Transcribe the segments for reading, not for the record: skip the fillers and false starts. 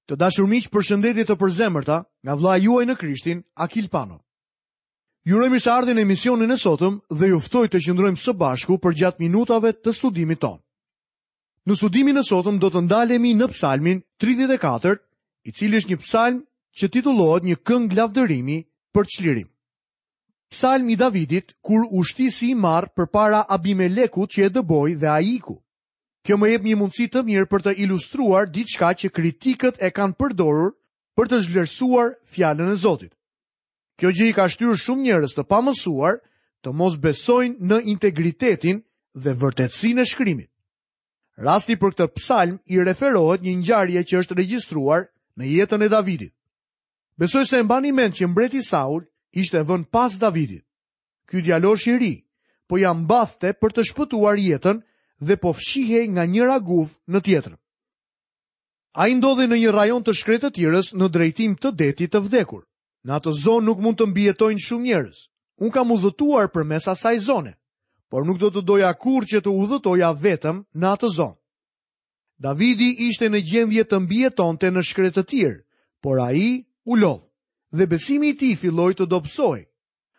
Të dashur miq, përshëndetje të përzemërta nga vëllai juaj në Krishtin, Akil Pano. Ju uroj mirëseardhjen në emisionin e sotëm dhe ju ftoj të qëndrojmë së bashku përgjatë minutave të studimit tonë. Në studimin e sotëm do të ndalemi në Psalmin 34, i cili është një psalm që titullohet një këngë lavdërimi për çlirim. Psalm i Davidit kur u shti si i marrë përpara Abimelekut që e dëboi dhe ai iku. Kjo më jep një mundësi të mirë për të ilustruar diçka që kritikët e kanë përdorur për të zhvlerësuar fjalën e Zotit. Kjo gjë i ka shtyrë shumë njerëz të pamësuar të mos besojnë në integritetin dhe vërtetësinë e shkrimit. Rasti për këtë psalm i referohet një ngjarje që është regjistruar në jetën e Davidit. Besoj se e mbani mend që mbreti Saul ishte vënë pas Davidit. Ky djalosh i ri po ia mbathte për të shpëtuar jetën dhe po fshihej nga njëra guvë në tjetrën. Ai ndodhej në një rajon të shkretëtirës në drejtim të detit të vdekur. Në atë zonë nuk mund të mbijetojnë shumë njerëz. Unë kam udhëtuar përmes asaj zone, por nuk do të doja kurrë që të udhëtoja vetëm në atë zonë. Davidi ishte në gjendje të mbijetonte në shkretëtirë, por ai u lodh dhe besimi i tij filloi të dobësohej.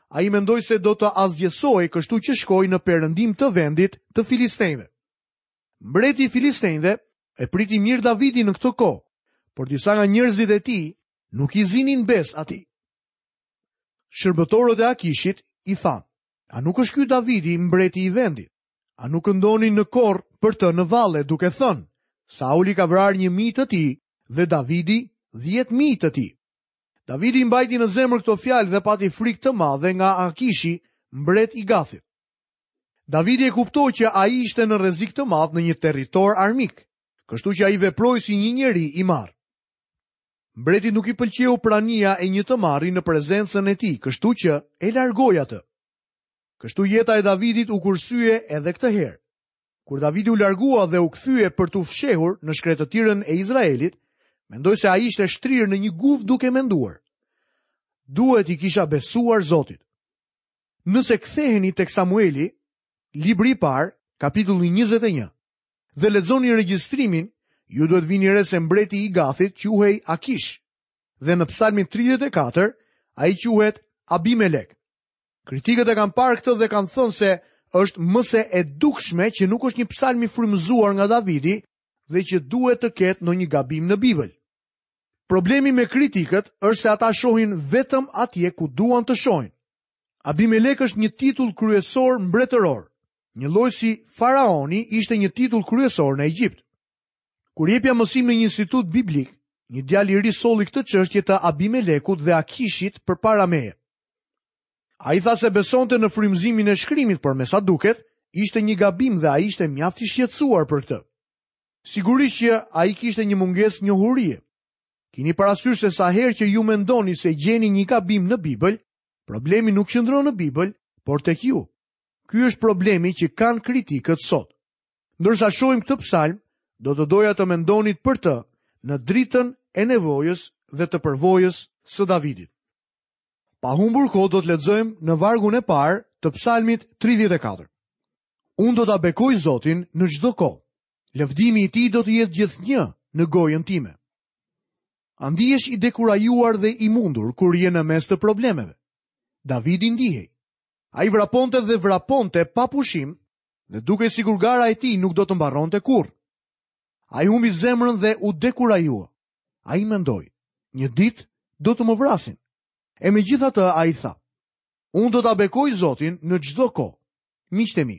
Ai mendoi se do të asgjësohej, kështu që shkoi në perëndim të vendit të filistenjve. Mbreti i filistenjve e priti mirë Davidin në këtë kohë, por disa nga njerëzit e tij nuk i zinin besë atij. Shërbëtorët e Akishit i thanë, a nuk është ky Davidi mbreti i vendit? A nuk këndonin në kor për të në valle duke thënë, Sauli ka vrarë 1000 të tij dhe Davidi 10.000 të tij. Davidi i mbajti në zemër këto fjalë dhe pati frikë të madhe nga Akishi, mbret i Gathit. Davidi e kuptoi që ai ishte në rrezik të madh në një territor armik, kështu që ai veproi si një njeri i marrë. Mbretit nuk i pëlqeu prania e një të marri në prezencën e tij, kështu që e largoi atë. Kështu jeta e Davidit u kursye edhe këtë herë. Kur Davidi u largua dhe u kthye për t'u fshehur në shkretëtirën e Izraelit, mendoj se ai ishte shtrirë në një guvë duke menduar. Duhet t'i kisha besuar Zotit. Nëse ktheheni tek Samueli, libri i parë, kapitulli 21, dhe lexoni regjistrimin, ju duhet vini re se mbreti i Gathit quhej Akish dhe në Psalmin 34 ai quhet Abimelek. Kritikët e kanë parë këtë dhe kanë thënë se është më se e dukshme që nuk është një psalm i frymëzuar nga Davidi dhe që duhet të ketë ndonjë gabim në Bibël. Problemi me kritikët është se ata shohin vetëm atje ku duan të shohin. Abimelek është një titull kryesor mbretëror, njëlloj si faraoni ishte një titull kryesor në Egjipt. Kur jepja mësim në një institut biblik, një djalë i ri solli këtë çështje të Abimelekut dhe Akishit përpara meje. Ai tha se besonte në frymëzimin e shkrimit, por me sa duket, ishte një gabim dhe ai ishte mjaft i shqetësuar për këtë. Sigurisht që ai kishte një mungesë njohurie. Kini parasysh se sa herë që ju mendoni se gjeni një gabim në Bibël, problemi nuk qëndron në Bibël, por tek ju. Ky është problemi që kanë kritikët sot. Ndërsa shohim këtë psalm, do të doja të mendonit për të në dritën e nevojës dhe të përvojës së Davidit. Pa humbur kohë do të lexojmë në vargun e parë të psalmit 34. Unë do ta bekoj Zotin në çdo kohë. Lëvdimi i tij do të jetë gjithnjë në gojën time. A ndihesh i dekurajuar dhe i mundur kur je në mes të problemeve? Davidi ndihej. Ai vraponte dhe vraponte pa pushim dhe dukej sikur gara e tij nuk do të mbaronte kurrë. Ai humbi zemrën dhe u dekurajua. Ai mendoi, një ditë do të më vrasin. E megjithatë ai tha, unë do ta bekoj Zotin në çdo kohë. Miqtë e mi,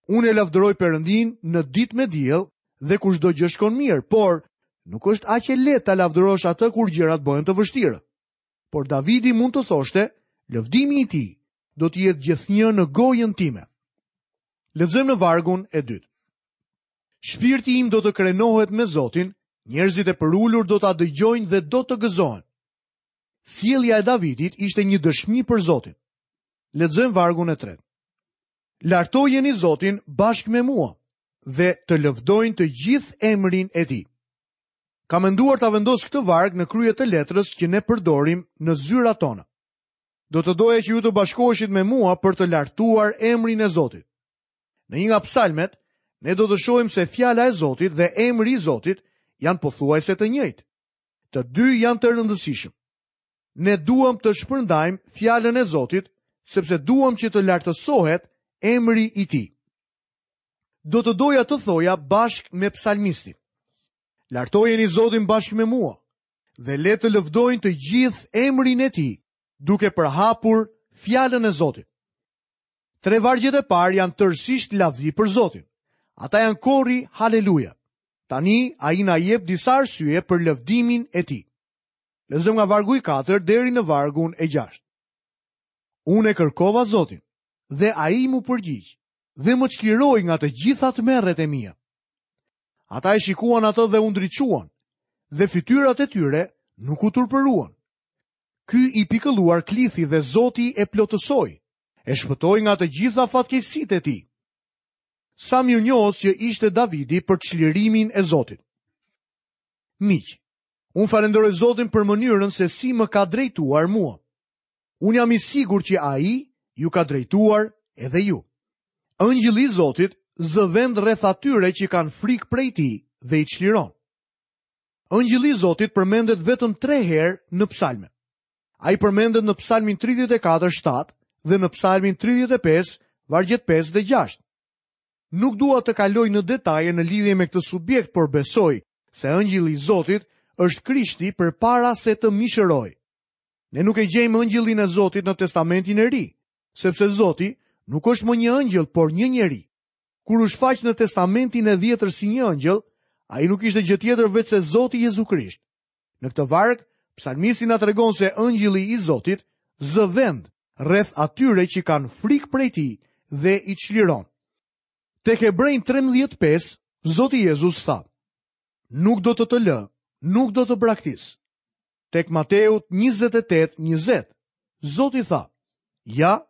unë e lavdëroj Perëndinë në ditë me diell dhe kur çdo gjë shkon mirë, por nuk është aq e lehtë ta lavdërosh atë kur gjërat bëhen të vështira. Por Davidi mund të thoshte, lëvdimi i tij do të jetë gjithnjë në gojën time. Lexojmë në vargun e dytë. Shpirti im do të krenohet me Zotin, njerëzit e përulur do ta dëgjojnë dhe do të gëzohen. Sjellja e Davidit ishte një dëshmi për Zotin. Lexojmë vargun e tretë. Lartojeni Zotin bashkë me mua dhe të lëvdojnë të gjithë emrin e tij. Kam menduar ta vendos këtë varg në krye të letrës që ne përdorim në zyrat tona. Do të doja që ju të bashkoheshit me mua për të lartuar emrin e Zotit. Në një nga psalmet, ne do të shohim se fjala e Zotit dhe emri i Zotit janë pothuajse të njëjtë. Të dy janë të rëndësishëm. Ne duam të shpërndajmë fjalën e Zotit, sepse duam që të lartësohet emri i tij. Do të doja të thoja bashkë me psalmistin. Lartojeni Zotin bashkë me mua dhe le të lëvdojnë të gjithë emrin e tij, duke përhapur fjalën e Zotit. Tre vargjet e parë janë tërësisht lavdi për Zotin. Ata janë kori Haleluja. Tani ai na jep disa arsye për lëvdimin e tij. Lexojmë nga vargu i 4 deri në vargun e 6. Unë e kërkova Zotin dhe ai m'u përgjigj dhe më çliroi nga të gjitha tmerret e mia. Ata e shikuan atë dhe u ndriçuan dhe fytyrat e tyre nuk u turpëruan. Ky i pikëlluar klithi dhe Zoti e plotësoi, e shpëtoi nga të gjitha fatkeqësitë e tij. Sa mirënjohës që ishte Davidi për çlirimin e Zotit. Miq, unë falënderoj Zotin për mënyrën se si më ka drejtuar mua. Unë jam i sigurt që ai ju ka drejtuar edhe ju. Ëngjëlli i Zotit zë vend rreth atyre që kanë frikë prej tij dhe i çliron. Ëngjëlli i Zotit përmendet vetëm 3 herë në psalme. Ai përmendet në psalmin 34 7 dhe në psalmin 35 vargjet 5 dhe 6. Nuk dua të kaloj në detaje në lidhje me këtë subjekt, por besoj se ëngjëlli i Zotit është Krishti përpara se të mishërohej. Ne nuk e gjejmë ëngjëllin e Zotit në Testamentin e Ri, sepse Zoti nuk është më një ëngjëll, por një njeri. Kur u shfaq në Testamentin e Vjetër si një ëngjëll, ai nuk ishte gjë tjetër veçse Zoti Jezu Krisht. Në këtë varg, psalmisti na tregon se ëngjëlli i Zotit zë vend rreth atyre që kanë frikë prej tij dhe i çliron. Tek Hebrenjtë 13:5, Zoti Jezus tha: Nuk do të të lë, nuk do të braktis. Tek Mateu 28:20, Zoti tha: Ja,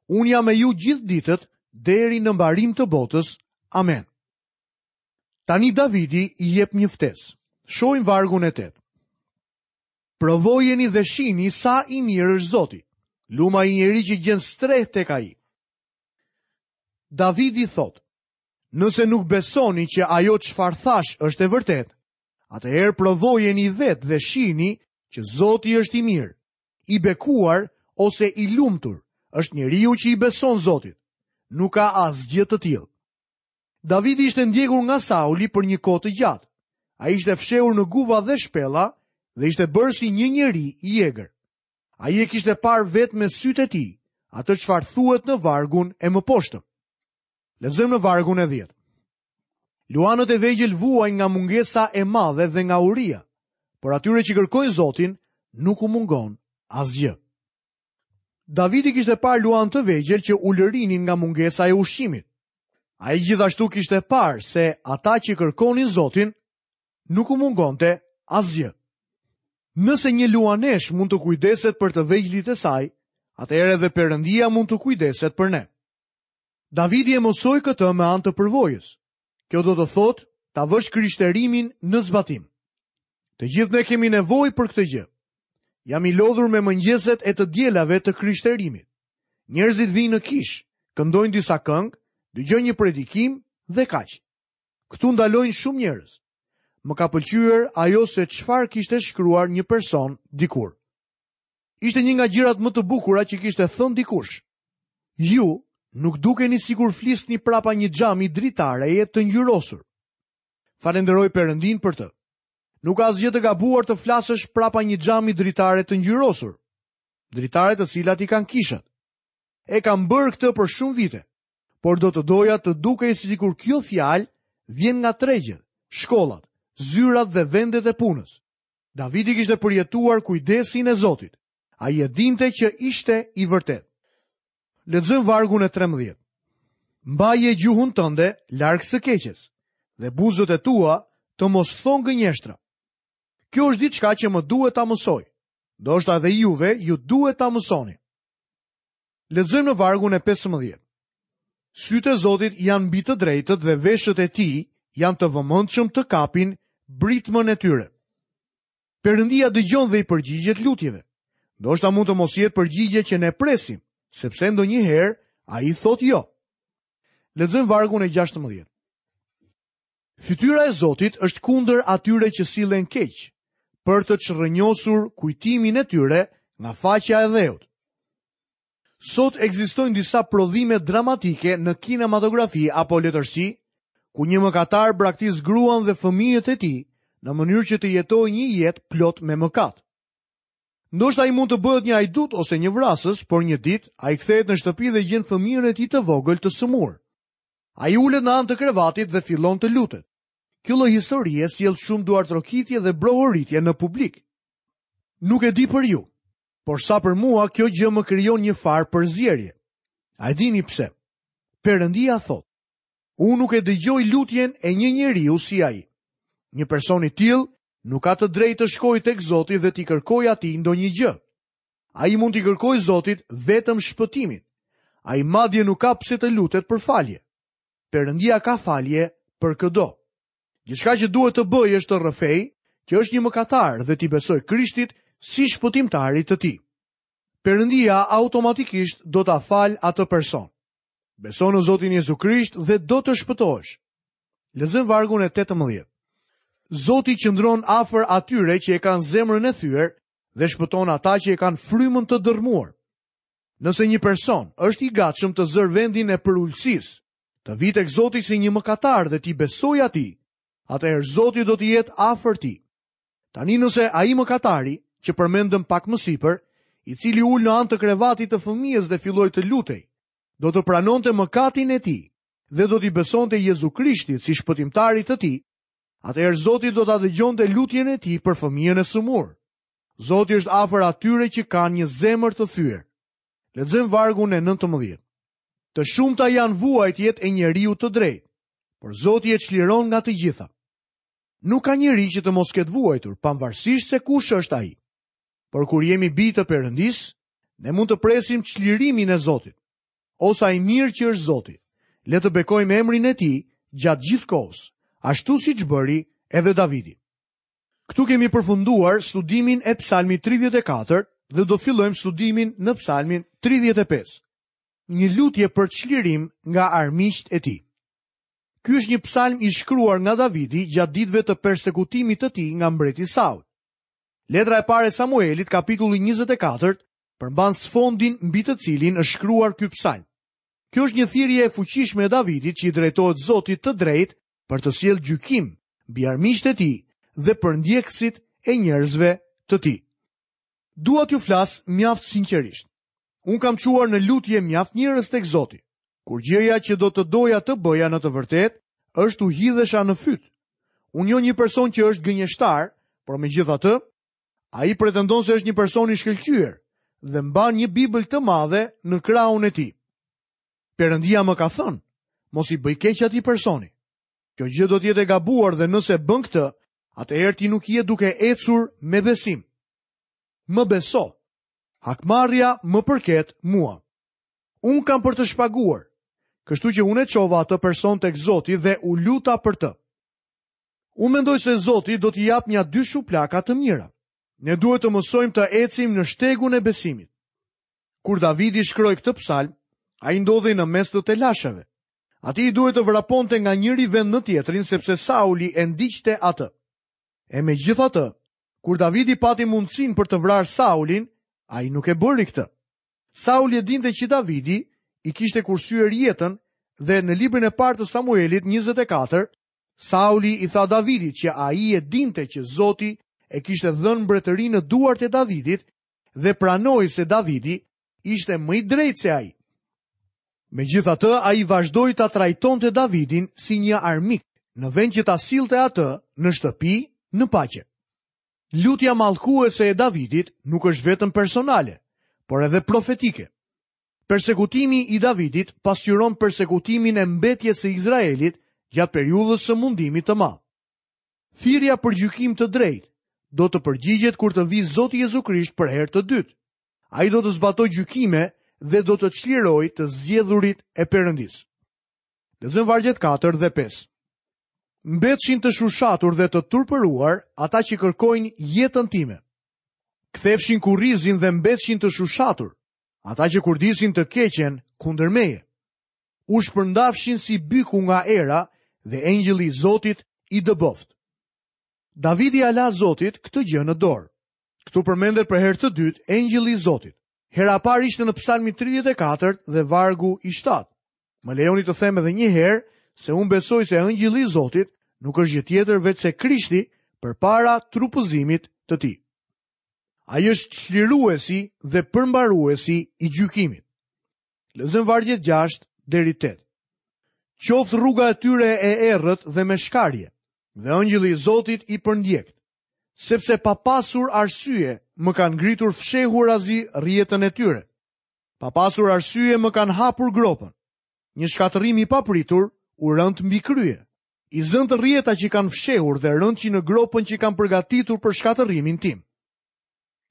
Unë jam me ju gjithë ditët deri në mbarim të botës. Amen. Tani Davidi i jep një ftesë. Shohim vargun e 8. Provojeni dhe shihni sa i mirë është Zoti. Lum ai njeri që gjen strehë tek ai. Davidi thotë, nëse nuk besoni që ajo çfarë thashë është e vërtetë, atëherë provojeni vetë dhe shihni që Zoti është i mirë. I bekuar ose i lumtur është njeriu që i beson Zotit. Nuk ka asgjë të tillë. Davidi ishte ndjekur nga Sauli për një kohë të gjatë. Ai ishte fshehur në guva dhe shpella dhe ishte bërë si një njeri i egër. Ai e kishte parë vetë me sytë e tij, atë çfarë thuhet në vargun e mëposhtëm. Lexojmë në vargun e 10. Luanët e vegjël vuajnë nga mungesa e madhe dhe nga uria, por atyre që kërkojnë Zotin nuk u mungon asgjë. Davidi kishte parë luanë të vegjël që ulërinin nga mungesa e ushqimit. Ai gjithashtu kishte parë se ata që kërkonin Zotin nuk u mungonte asgjë. Nëse një luaneshë mund të kujdeset për të vegjlit e saj, atëherë edhe Perëndia mund të kujdeset për ne. Davidi e mësoi këtë me anë të përvojës. Kjo do të thotë ta vësh krishterimin në zbatim. Të gjithë ne kemi nevojë për këtë gjë. Jam i lodhur me mëngjeset e të dielave të krishterimit. Njerëzit vijnë në kishë, këndojnë disa këngë, dëgjojnë një predikim dhe kaq. Këtu ndalojnë shumë njerëz. Më ka pëlqyer ajo se çfarë kishte shkruar një person dikur. Ishte një nga gjërat më të bukura që kishte thënë dikush. Ju nuk dukeni sikur flisni prapa një xhami dritareje të ngjyrosur. Falënderoj Perëndinë për të. Nuk ka asgjë të gabuar të flasësh prapa një xhami dritare të ngjyrosur. Dritare të cilat i kanë kishat. E kam bërë këtë për shumë vite, por do të doja të dukej sikur kjo fjalë vjen nga tregjet, shkollat, zyrat dhe vendet e punës. Davidi kishte përjetuar kujdesin e Zotit. Ai e dinte që ishte i vërtetë. Lexojmë vargun e 13. Mbaje gjuhën tënde larg së keqes dhe buzët e tua të mos thonë gënjeshtra. Kjo është diçka që më duhet ta mësoj. Ndoshta edhe juve ju duhet ta mësoni. Lexojmë në vargun e 15. Sytë e Zotit janë mbi të drejtët dhe veshët e tij janë të vëmendshëm të kapin britmën e tyre. Perëndia dëgjon dhe i përgjigjet lutjeve. Ndoshta mund të mos jetë përgjigje që ne presim, sepse ndonjëherë ai thotë jo. Lexojmë vargun e 16. Fytyra e Zotit është kundër atyre që sillen keq, për të çrrënjosur kujtimin e tyre nga faqja e dheut. Sot ekzistojnë disa prodhime dramatike në kinematografi apo letërsi, ku një mëkatar braktis gruan dhe fëmijët e tij në mënyrë që të jetojë një jetë plot me mëkat. Ndoshta ai mund të bëhet një hajdut ose një vrasës, por një ditë ai kthehet në shtëpi dhe gjen fëmijën e tij të vogël të sëmurë. Ai ulet në anë të krevatit dhe fillon të lutet. Kjo lloj historie sjell shumë duartrokitje dhe brohoritje në publik. Nuk e di për ju, por sa për mua kjo gjë më krijon një farë përzierje. A e dini pse? Perëndia thotë, unë nuk e dëgjoj lutjen e një njeriu si ai. Një person i tillë nuk ka të drejtë të shkojë tek Zoti dhe t'i kërkojë atij ndonjë gjë. Ai mund t'i kërkojë Zotit vetëm shpëtimin. Ai madje nuk ka pse të lutet për falje. Perëndia ka falje për këdo. Gjithçka që duhet të bëjë është të rrëfejë që është një mëkatar dhe t'i besojë Krishtit si shpëtimtarit të tij. Perëndia automatikisht do ta falë atë person. Beso në Zotin Jezu Krisht dhe do të shpëtohesh. Lexojmë vargun e 18. Zoti qëndron afër atyre që e kanë zemrën e thyer dhe shpëton ata që e kanë frymën të dërrmuar. Nëse një person është i gatshëm të zërë vendin e përulësisë, të vijë tek Zoti si një mëkatar dhe t'i besojë atij, atëherë Zoti do të jetë afër tij. Tani nëse ai mëkatari, që përmendëm pak më sipër, i cili u ul në anë të krevatit të fëmijës dhe filloi të lutej, do të pranonte mëkatin e tij dhe do t'i besonte Jezu Krishtit si shpëtimtarit të tij, atëherë Zoti do ta dëgjonte lutjen e tij për fëmijën e sëmurë. Zoti është afër atyre që kanë një zemër të thyer. Lexojmë vargun e 19. Të shumta janë vuajtjet e njeriut të drejtë, por Zoti e çliron nga të gjitha. Nuk ka njeri që të mos ketë vuajtur, pavarësisht se kush është ai. Por kur jemi bij të Perëndisë, ne mund të presim çlirimin e Zotit. O sa i mirë që është Zoti. Le të bekojmë emrin e tij gjatë gjithë kohës, ashtu siç bëri edhe Davidi. Këtu kemi përfunduar studimin e Psalmit 34 dhe do fillojmë studimin në Psalmin 35. Një lutje për çlirim nga armiqtë e tij. Ky është një psalm i shkruar nga Davidi gjatë ditëve të persekutimit të tij nga mbreti Saul. Letra e parë e Samuelit, kapitulli 24, përmban sfondin mbi të cilin është shkruar ky psalm. Kjo është një thirrje e fuqishme e Davidit që i drejtohet Zotit të drejtë për të sjellë gjykim mbi armiqtë e tij dhe përndjekësit e njerëzve të tij. Dua t'ju flas mjaft sinqerisht. Unë kam çuar në lutje mjaft njerëz tek Zoti. Kur gjëja që do të doja të bëja në të vërtetë është t'u hidhesha në fyt. Unë njoh një person që është gënjeshtar, por megjithatë, ai pretendon se është një person i shkëlqyer dhe mban një Bibël të madhe në krahun e tij. Perëndia më ka thënë, mos i bëj keq atij personi. Kjo gjë do të jetë e gabuar dhe nëse bën këtë, atëherë ti nuk je duke ecur me besim. Më beso. Hakmarrja më përket mua. Unë kam për të shpaguar. Kështu që unë e çova atë person tek Zoti dhe u luta për të. Unë mendoj se Zoti do t'i japë nja dy shuplaka të mira. Ne duhet të mësojmë të ecim në shtegun e besimit. Kur Davidi shkroi këtë psalm, ai ndodhej në mes të telasheve. Atij i duhej të vraponte nga njëri vend në tjetrin sepse Sauli e ndiqte atë. E megjithatë, kur Davidi pati mundësinë për të vrarë Saulin, ai nuk e bëri këtë. Sauli e dinte që Davidi i kishte kursyer jetën dhe në librin e parë të Samuelit 24, Sauli i tha Davidit që ai e dinte që Zoti e kishte dhënë mbretërinë në duart e Davidit dhe pranoi se Davidi ishte më i drejtë se ai. Megjithatë, ai vazhdoi ta trajtonte Davidin si një armik, në vend që ta sillte atë në shtëpi në paqe. Lutja mallkuese e Davidit nuk është vetëm personale, por edhe profetike. Persekutimi i Davidit pasqyron persekutimin e mbetjes së Izraelit gjatë periudhës së mundimit të madh. Thirrja për gjykim të drejtë do të përgjigjet kur të vijë Zoti Jezu Krisht për herë të dytë. Ai do të zbatojë gjykime dhe do të çlirojë të zgjedhurit e Perëndisë. Lexojmë vargjet 4 dhe 5. Mbetshin të shushatur dhe të turpëruar ata që kërkojnë jetën time. Kthefshin kurrizin dhe mbetshin të shushatur ata që kurdisin të keqen kundër meje. U shpërndafshin si byku nga era dhe engjëlli i Zotit i dëboftë. Davidi ia la Zotit këtë gjë në dorë. Këtu përmendet për herë të dytë engjëlli i Zotit. Hera e parë ishte në Psalmin 34 dhe vargu i 7. Më lejoni të them edhe një herë se unë besoj se engjëlli i Zotit nuk është gjë tjetër veçse Krishti përpara trupëzimit të tij. Ai është çliruesi dhe përmbaruesi i gjykimit. Lexojmë vargjet 6 deri 8. Qoftë rruga e tyre e errët dhe me shkarje, dhe engjëlli i Zotit i përndjektë, sepse pa pasur arsye më kanë ngritur fshehurazi rrjetën e tyre. Pa pasur arsye më kanë hapur gropën. Një shkatërrim i papritur u rëntë mbi krye. I zëntë rrjeta që kanë fshehur dhe rënçi në gropën që kanë përgatitur për shkatërrimin tim.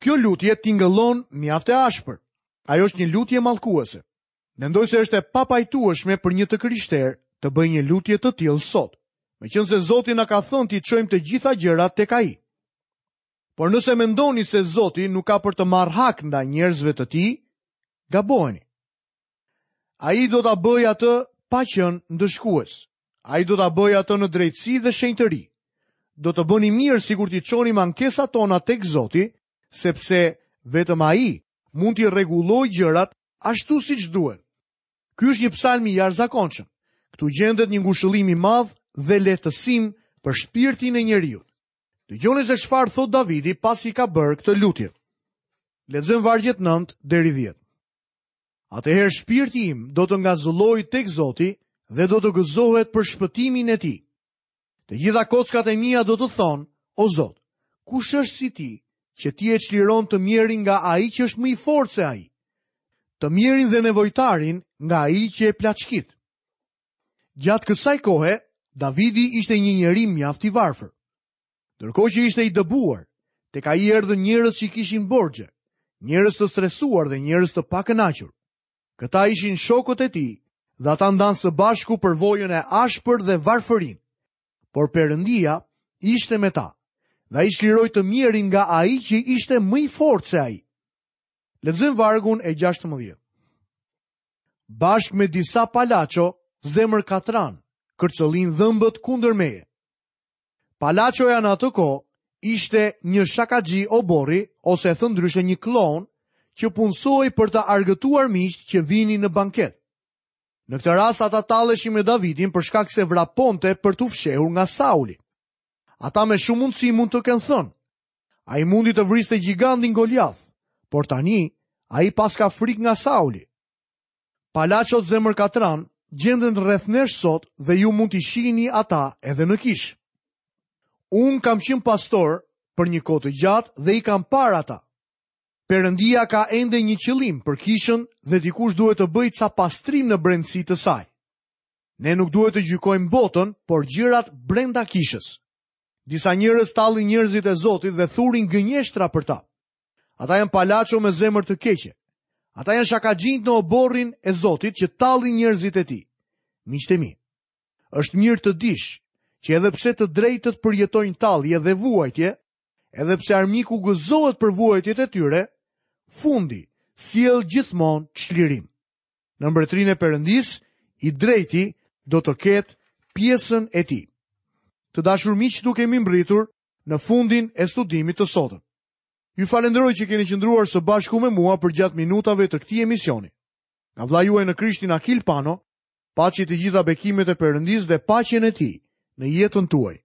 Kjo lutje tingëllon mjaft e ashpër. Ajo është një lutje mallkuese. Mendoj se është e papajtueshme për një të krishterë të bëjë një lutje të tillë sot, meqenëse Zoti na ka thënë t'i çojmë të gjitha gjërat tek Ai. Por nëse mendoni se Zoti nuk ka për të marrë hak ndaj njerëzve të tij, gaboheni. Ai do ta bëjë atë pa qenë ndëshkues. Ai do ta bëjë atë në drejtësi dhe shenjtëri. Do të bënim mirë sikur t'i çonim ankesat tona tek Zoti, sepse vetëm Ai mund t'i rregullojë gjërat ashtu siç duhen. Ky është një psalm i jashtëzakonshëm. Këtu gjendet një ngushëllim i madh dhe lehtësim për shpirtin e njeriut. Dëgjoni se çfarë thotë Davidi pasi ka bërë këtë lutje. Lexojmë vargjet 9 deri 10. Atëherë shpirti im do të ngazëllojë tek Zoti dhe do të gëzohet për shpëtimin e tij. Të gjitha kockat e mia do të thonë, o Zot, kush është si ti, që ti e çliron të mjerin nga ai që është më i fortë se ai? Të mjerin dhe nevojtarin nga ai që e plaçkit. Gjatë kësaj kohe, Davidi ishte një njeri mjaft i varfër. Ndërkohë që ishte i dëbuar, tek ai erdhën njerëz që kishin borxhe, njerëz të stresuar dhe njerëz të pakënaqur. Këta ishin shokët e tij dhe ata ndanë së bashku përvojën e ashpër dhe varfërinë. Por Perëndia ishte me ta dhe ai çliroi të mjerin nga ai që ishte më i fortë se ai. Lexojmë vargun e 16. Bashkë me disa palaço, zemërkatranë, kërcëllijnë dhëmbët kundër meje. Palaçoja në atë kohë ishte një shakaxhi oborri ose e thënë ndryshe një kloun që punësohej për të argëtuar miqtë që vinin në banket. Në këtë rast ata talleshin me Davidin për shkak se vraponte për t'u fshehur nga Sauli. Ata me shumë mundësi mund të kenë thënë, ai mundi të vriste gjigandin Goliath, por tani ai paska frikë nga Sauli. Palaçot zemërkatranë gjenden rreth nesh sot dhe ju mund t'i shihni ata edhe në kishë. Unë kam qenë pastor për një kohë të gjatë dhe i kam parë ata. Perëndia ka ende një qëllim për kishën dhe dikush duhet të bëjë ca pastrim në brendësi të saj. Ne nuk duhet të gjykojmë botën, por gjërat brenda kishës. Disa njerëz tallin njerëzit e Zotit dhe thurin gënjeshtra për ta. Ata janë palaço me zemër të keqe. Ata janë shakaxhinjtë në oborrin e Zotit që tallin njerëzit e tij. Miqtë e mi, është mirë të dish që edhe pse të drejtët përjetojnë tallje dhe vuajtje, edhe pse armiku gëzohet për vuajtjet e tyre, fundi sjell gjithmonë çlirim. Në mbretërinë e Perëndisë, i drejti do të ketë pjesën e tij. Të dashur miq, këtu kemi mbërritur në fundin e studimit të sotëm. Ju falënderoj që keni qëndruar së bashku me mua përgjatë minutave të këtij emisioni. Nga vëllai juaj në Krishtin Akil Pano, paçi të gjitha bekimet e Perëndisë dhe paqen e tij në jetën tuaj.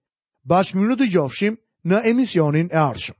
Bashkë mirudëgjofshim në emisionin e ardhshëm.